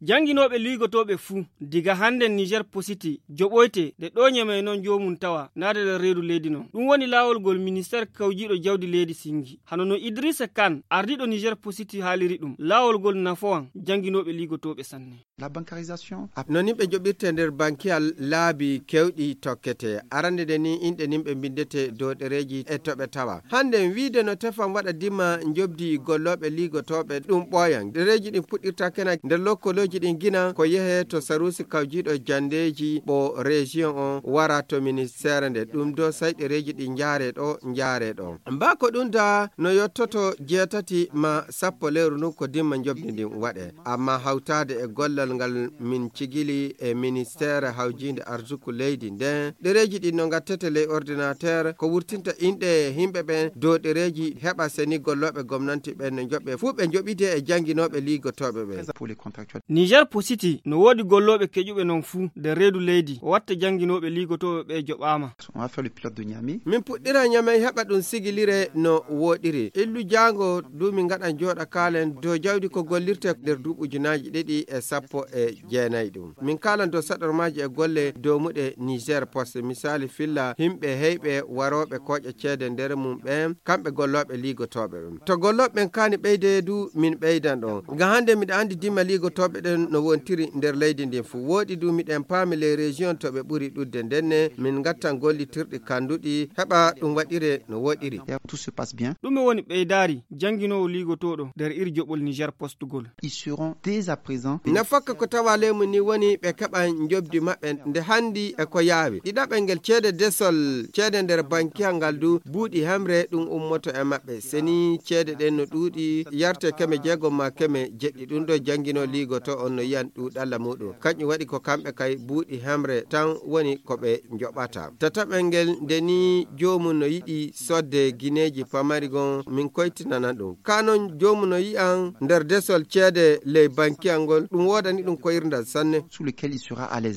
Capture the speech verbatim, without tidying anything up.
Jannginooɓe liigotooɓe fuu, diga hannden Niger Positi joɓoyte, de ɗo Ñamey non joomum tawa, naade nder reedu leydi non. Ɗum woni laawol ngol ministeer kawjiiɗo jawdi leydi singi. Hano no Idrissa Kane, ardiiɗo Niger Positi haaliri ɗum, laawol ngol nafowan jannginooɓe liigotooɓe sanne. La bancarisation. No nimɓe joɓirte nder bankiyal laabi kewɗi tokkete. Arande nde ni inɗe nimɓe mbindete dow ɗereeji e to ɓe tawa. Hannden wiide no tefan waɗa dimma njobdi gollooɓe liigotooɓe ɗum ɓooyan. Ɗereeji ɗin puɗɗirta kena nder lokkolooji ɗin gina ko yehe to saruusi kawjiiɗo jandeeji ɓo région on wara to ministeere nde. Ɗum dow say ɗereeji ɗi njaare ɗo, njaare ɗo. Mbaa ko ɗum da no yottoto jeetati ma sappo lewru ndun ko dimma njobdi ndin waɗe. Amma hawtaade e gollal ngal min cigili e ministeere hawjiinde arsuku leydi nden, ɗereeji ɗin no ngattete ley ordinateur ko wurtinta inɗe himɓe ɓen dow ɗereeji heɓa seni gollooɓe gomnanti ɓen no njoɓe fuu ɓe njoɓide e jannginooɓe liigotooɓe ɓen. Pour les contractuels. Niger Positi no woodi gollooɓe keƴuɓe non fuu nder reedu leydi o watta jannginooɓe liigotooɓe ɓe joɓaama. On va faire le pilote de Niamey. Min puɗɗira Ñamey heɓa ɗum sigilire no wooɗiri. Illu jaango du min ngaɗan jooɗa kaalen dow jawdi ko gollirte nder duuɓi ujunaaji ɗiɗi e sappo e jeenayi ɗum. Min kaalan dow saɗormaaji e golle dow muɗe Niger Post. Misaali filla himɓe heyɓe warooɓe kooƴa ceede nder mum ɓen, kamɓe gollooɓe liigotooɓe ɓen. To gollooɓe ɓen kaani ɓeyde du min ɓeydan ɗon. Nga hannde miɗa anndi dimma liigotooɓe ɗen no wontiri nder leydi ndin fuu. Wooɗi du miɗen paami les régions to ɓe ɓuri ɗuɗde ndenne min ngattan gollitirɗi kanduɗi heɓa ɗum waɗire no woɗiri. Tout se passe bien. Ɗume woni ɓeydaari jannginoowo liigotooɗo nder iri joɓol Niger Post gol? Ils seront dès à présent. Nafakka ko tawa leymu ni woni ɓe keɓan njobdi maɓɓe nde hanndi e ko yaawi. Ɗiɗaɓel ngel ceede desol, ceede nder bankiyal ngal du buuɗi hemre ɗum ummoto e maɓɓe. Seni ceede ɗen no ɗuuɗi yarte keme jeegom ma keme jeɗɗi. Ɗum ɗo janngino liigoto on no yiyan ɗuuɗalla muɗum. Kanƴum waɗi ko kamɓe kay buuɗi hemre tan woni ko ɓe njoɓata. Tataɓel ngel nde ni joomum no yiɗi sodde gineeji pamari gon min koytinana ɗum. Ka non joomum no yi'an nder desol ceede ley bankiyal ngol ɗum woodani ɗum koyirndal sanne. Sous lequel il sera à l'aise.